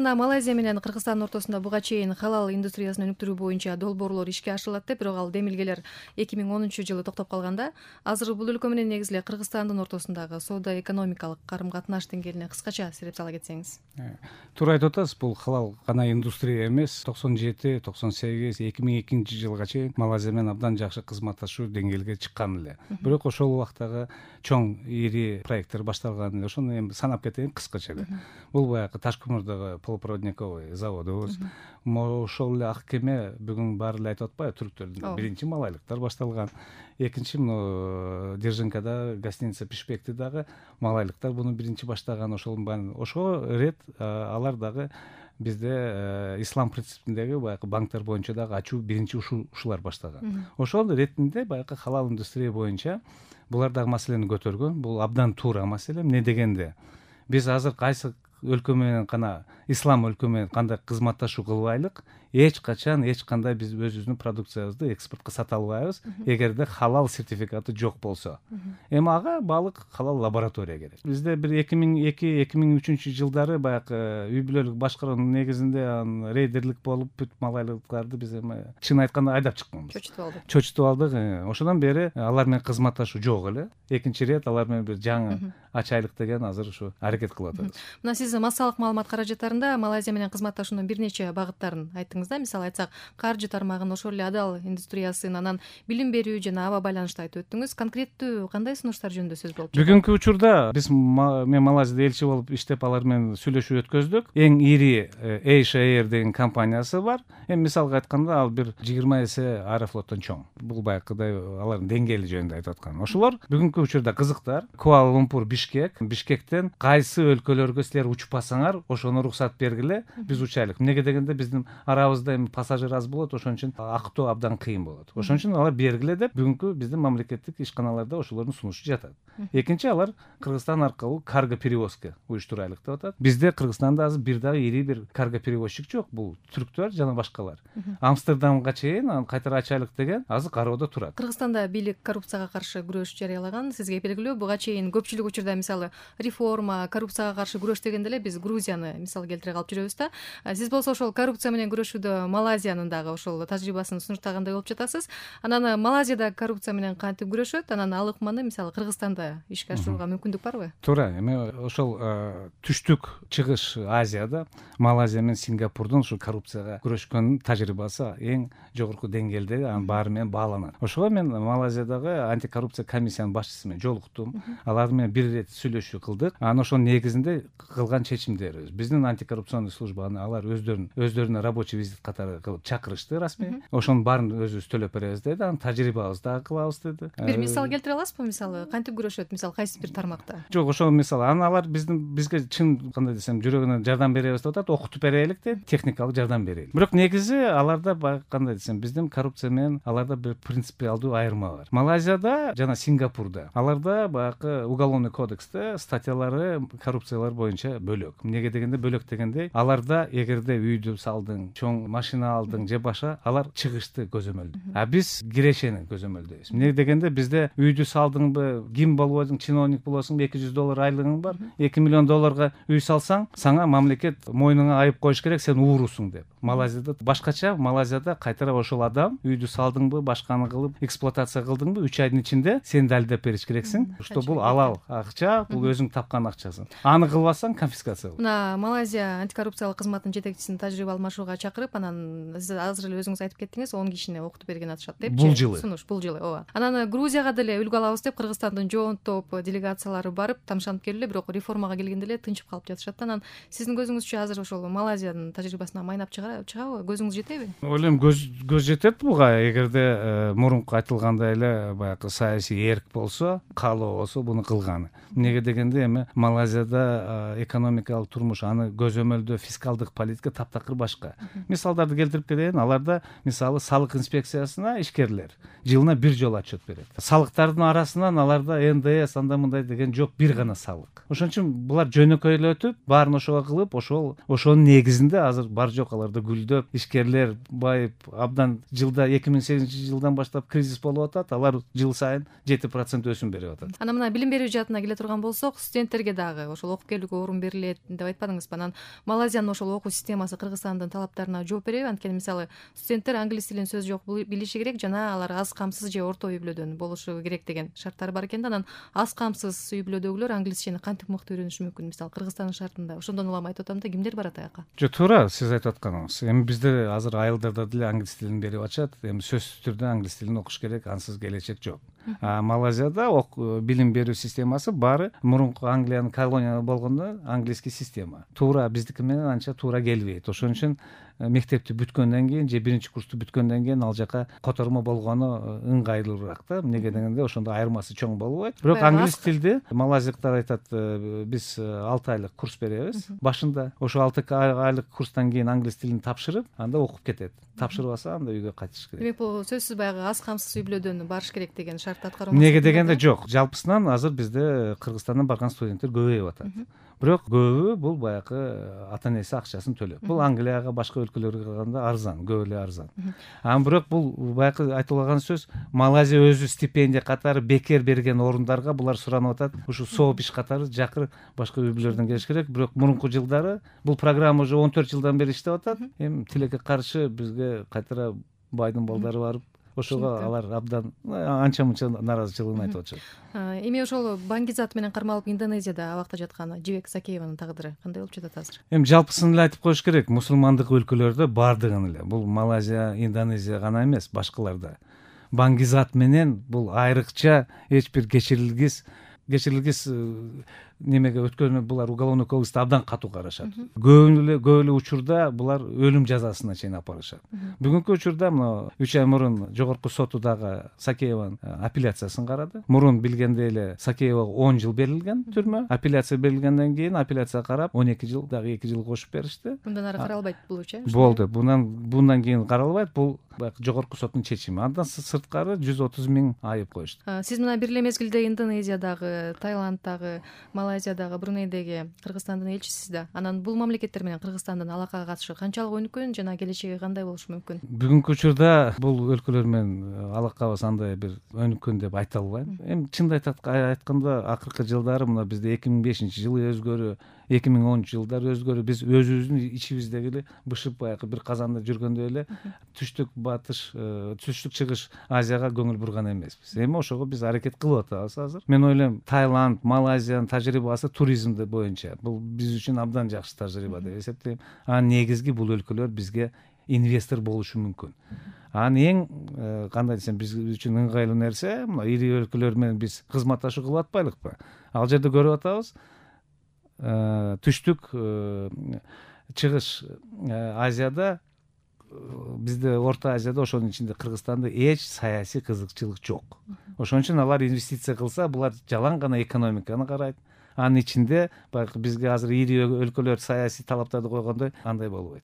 убакытында Малайзия менен Кыргызстандын ортосунда буга чейин халал индустриясын өнүктүрүү боюнча долбоорлор ишке ашырылат деп, бирок ал демилгелер 2010-жылы токтоп калганда, азыр бул өлкө менен негизи эле Кыргызстандын ортосундагы соода-экономикалык карым-катнаш деңгээлине кыскача сереп сала кетсеңиз. Туура айтып атасыз, бул халал гана индустрия эмес. 97, 98, 2002-жылга чейин Малайзия менен абдан жакшы кызматташуу деңгээлге чыккан эле. Бирок ошол убактагы чоң ири проекттер башталган эле. Ошону эми санап кетейин кыскача эле. Бул баягы Ташкөмүрдөгү полупроводниковый заводубуз. Ошол эле ак кеме бүгүн баары эле айтып атпайбы, түрктөрдүн биринчи малайлыктар башталган. Экинчи муну Держинкада гостиница Пишпекти дагы малайлыктар буну биринчи баштаган. Ошого рет алар дагы бизде ислам принципиндеги баягы банктар боюнча дагы ачуу биринчи ушулар баштаган. Ошол ретинде баягы халал индустрия боюнча булар дагы маселени көтөргөн. Бул абдан туура маселе. Эмне дегенде биз азыр кайсы өлкө менен гана ислам өлкө менен кандай кызматташуу кылбайлык, эч качан эч кандай биз өзүбүздүн продукциябызды экспортко сата албайбыз, эгерде халал сертификаты жок болсо. Эми ага баалык халал лаборатория керек. Бизде бир 2002-2003 жылдары баягы үй бүлөлүк башкаруунун негизинде рейдерлик болуп бүт малайлыктарды биз эми чын айтканда айдап чыкканбыз. Чочутуп алдык. Ошондон бери алар менен кызматташуу жок эле. Экинчи рет алар менен бир жаңы ачайлык деген азыр ушу аракет кылып атабыз. Мына сиз массалык маалымат каражаттарында Малайзия менен кызматташуунун бир нече багыттарын айттыңыз да. Мисалы айтсак, каржы тармагын, ошол эле адал индустриясын, анан билим берүү жана аба байланышты айтып өттүңүз. Конкреттүү кандай сунуштар жөнүндө сөз болуп жатат? Бүгүнкү учурда биз мен Малайзияда элчи болуп иштеп алар менен сүйлөшүү өткөздүк. Эң ири Asia Air деген компаниясы бар. Эми мисалга айтканда ал бир 20 эсе Аэрофлоттон чоң. Бул баягыдай алардын деңгээли жөнүндө айтып аткан. Ошолор бүгүнкү учурда кызыктар. Куала-Лумпур, Бишкектен кайсы өлкөлөргө силер учпасаңар, ошону уруксат бергиле, биз учайлык. Эмнеге дегенде биздин арабызда эми пассажир аз болот, ошон үчүн актоо абдан кыйын болот. Ошон үчүн алар бергиле деп бүгүнкү биздин мамлекеттик ишканаларда ошолордун сунушу жатат. Экинчи, алар Кыргызстан аркылуу карго перевозка уюштурайлык деп атат. Бизде Кыргызстанда азыр бир дагы ири бир карго перевозчик жок. Бул түрктөр жана башкалар. Амстердамга чейин кайтара ачайлык деген азыр кароодо турат. Кыргызстанда бийлик коррупцияга каршы күрөш жарыялаган. Сизге белгилүү, буга чейин көпчүлүк учурда мисалы реформа, коррупцияга каршы күрөш дегенде эле биз Грузияны мисал келтире калып жүрөбүз да. Сиз болсо ошол коррупция менен күрөшүүдө Малайзиянын дагы ошол тажрыйбасын сунуштагандай болуп жатасыз. Анан Малайзияда коррупция менен кантип күрөшөт? Анан ал ыкманы мисалы Кыргызстанда ишке ашырууга мүмкүндүк барбы? Туура. Эми ошол түштүк чыгыш Азияда Малайзия менен Сингапурдун ушул коррупцияга күрөшкөн тажрыйбасы эң жогорку деңгээлде, анын баары менен бааланат. Ошого мен Малайзиядагы антикоррупция комиссиянын башчысы менен жолуктум. Алар менен бир ирет сүйлөшүү кылдык. Анан ошонун негизинде кылган чечимдерибиз. Биздин антикоррупционный службаны алар өздөрүнө рабочий визит катары кылып чакырышты расмий. Ошонун баарын өзүбүз төлөп беребиз деди. Анан тажрыйбабызды дагы кылабыз деди. Бир мисал келтире аласызбы? Мисалы кантип күрөшөт? Мисалы кайсы бир тармакта? Жок, ошол мисалы. Анан алар бизге чын кандай десем, жүрөгүнөн жардам беребиз деп атат. Окутуп берелик деп, техникалык жардам берели. Бирок негизи аларда кандай десем, биздин коррупция менен аларда бир принципиалдуу айырма бар. Малайзияда жана Сингапурда аларда баягы уголовный кодексте статьялары коррупциялар боюнча бөлөк. Эмнеге дегенде бөлөк дегенде аларда эгерде үйдү салдың, чоң машина алдың же башка, алар чыгышты көзөмөлдөйт. А биз кирешени көзөмөлдөйбүз. Эмнеге дегенде бизде үйдү салдыңбы, ким болбойсуң, чиновник болосуңбу, $200 айлыгың бар, $2 миллион үй салсаң, сага мамлекет мойнуңа айып коюш керек, сен уурусуң деп. Малайзияда башкача. Малайзияда кайтара ошол адам үйдү салдыңбы, башканы кылып эксплуатация кылдыңбы, 3 айдын ичинде сен далилдеп бериш керексиң. Что бул алал акча, бул өзүң тапкан акчасың. Аны кылбасаң конфискация болот. Мына Малайзия антикоррупциялык кызматынын жетекчисин тажрыйба алмашууга чакырып, анан сиз азыр эле өзүңүз айтып кеттиңиз, 10 кишини окутуп берген атышат депчи. Бул жылы. Сунуш бул жылы, ооба. Анан Грузияга деле үлгү алабыз деп Кыргызстандын жоон топ делегациялары барып, тамшанып келди, бирок реформага келгенде эле тынчып калып жатышат. Анан сиздин көзүңүзчө азыр ошол Малайзиянын тажрыйбасына майнап чыгабы? Көзүңүз жетеби? Ойлойм, көз жетет буга. Эгерде мурунку айтылгандай эле баягы саясий эрк болсо, каалоо болсо буну кылганы. Эмнеге дегенде эми Малайзияда экономикалык турмуш, аны көзөмөлдөө фискалдык политика таптакыр башка. Мисалдарды келтирип берейин. Аларда мисалы салык инспекциясына ишкерлер жылына бир жолу отчет берет. Салыктардын арасынан аларда НДС андай мындай деген жок, бир гана салык. Ошон үчүн булар жөнөкөйлөтүп, баарын ошого кылып, ошонун негизинде азыр бар жок аларда гүлдөп, ишкерлер байып, абдан жылда 2008-жылдан баштап кризис болуп атат, алар жыл сайын 7% өсүм берип атат. Анан мына билим берүү жаатына келе турган болсок, студенттерге дагы ошол окуп келүүгө орун берилет деп айтпадыңызбы? Анан Малайзиянын ошол окуу системасы Кыргызстандын талаптарына жооп береби? Анткени мисалы студенттер англис тилин сөз жок билиши керек жана алар аз камсыз же орто үй бүлөдөн болушу керек деген шарттар бар экен да. Анан аз камсыз үй бүлөдөгүлөр англисчени кантип мыкты үйрөнүшү мүмкүн? Мисалы Кыргызстандын шартында ошондон улам айтып атам да, кимдер барат аяка? Жок, туура сиз айтып атканыңыз. Эми бизде азыр айылдарда деле англис тилин берип атышат. Эми сөзсүз түрдө англис тилин окуш керек, ансыз келечек жок. Малайзияда билим берүү системасы баары мурунку Англиянын колония болгондо английский система. Туура биздики менен анча туура келбейт. Ошон үчүн мектепти бүткөндөн кийин же биринчи курсту бүткөндөн кийин ал жака котормо болгону ыңгайлуураак да. Эмнеге дегенде ошондо айырмасы чоң болбойт. Бирок англис тилди малайзиялыктар айтат, биз 6 айлык курс беребиз. Башында ошо 6 айлык курстан кийин англис тилин тапшырып, анда окуп кетет. Тапшырбаса анда үйгө кайтыш керек. Демек бул сөзсүз баягы аз камсыз үй бүлөдөн барыш керек деген шартты аткаруу. Эмнеге дегенде жок. Жалпысынан азыр бизде Кыргызстандан барган студенттер көбөйүп атат. Бирок көбү бул баягы ата энеси акчасын төлөп. Бул Англияга, башка өлкөлөргө караганда арзан, көп эле арзан. Бирок бул баягы айтылган сөз, Малайзия өзү стипендия катары бекер берген орундарга булар суранып атат. Ушу сооп иш катары жакыр башка үй бүлөлөрдөн келиш керек. Бирок мурунку жылдары бул программа уже 14 жылдан бери иштеп атат. Эми тилекке каршы бизге кайтара байдын балдары барып, ошого алар абдан анча-мынча нааразычылыгын айтып атышат. Эми ошол Бангизат менен кармалып Индонезияда абакта жаткан Жибек Сакееванын тагдыры кандай болуп жатат азыр? Эми жалпысын эле айтып коюш керек, мусулмандык өлкөлөрдө бардыгын эле, бул Малайзия, Индонезия гана эмес, башкаларда Бангизат менен бул айрыкча эч бир кечирилгис немеге өткөнү булар уголовный кодексте абдан катуу карашат. Көп эле учурда булар өлүм жазасына чейин апарышат. Бүгүнкү учурда мына 3 ай мурун жогорку соту дагы Сакееванын апелляциясын карады. Мурун билгенде эле Сакеевага 10 жыл берилген түрмө. Апелляция берилгенден кийин апелляция карап 12 жыл дагы 2 жыл кошуп беришти. Мындан ары каралбайт болчу. Болду. Bundan кийин каралбайт. Бул жогорку соттун чечими. Андан сырткары 130 000 айып коюшту. Сиз мына бир эле мезгилде Индонезиядагы, Таиланддагы, Малайзиядагы, Брунейдеги Кыргызстандын элчисисиз да. Анан бул мамлекеттер менен Кыргызстандын алакага катышы канчалык өнүккөн жана келечеги кандай болушу мүмкүн? Бүгүнкү учурда бул өлкөлөр менен алакабыз андай бир өнүккөн деп айта албайм. Эми чындап айтканда акыркы жылдары мына бизде 2005-жылы өзгөрүү, 2010-жылдары өзгөрүү, биз өзүбүздүн ичибиздеги эле бышып баягы бир казанда жүргөндөй эле түштүк батыш, түштүк чыгыш Азияга көңүл бурган эмеспиз. Эми ошого биз аракет кылып атабыз азыр. Мен ойлойм, Таиланд, Малайзиянын тажрыйбасы туризмди боюнча бул биз үчүн абдан жакшы тажрыйба деп эсептейм. Негизги бул өлкөлөр бизге инвестор болушу мүмкүн. Эң кандай десем, биз үчүн ыңгайлуу нерсе, мына ири өлкөлөр менен биз кызматташуу кылып атпайлыкпы? Ал жерде көрүп атабыз, түштүк чыгыш Азияда, бизде Орто Азияда, ошонун ичинде Кыргызстанда эч саясий кызыкчылык жок. Ошон үчүн алар инвестиция кылса, булар жалаң гана экономиканы карайт. Анын ичинде баягы бизге азыр ири өлкөлөр саясий талаптарды койгондой андай болбойт.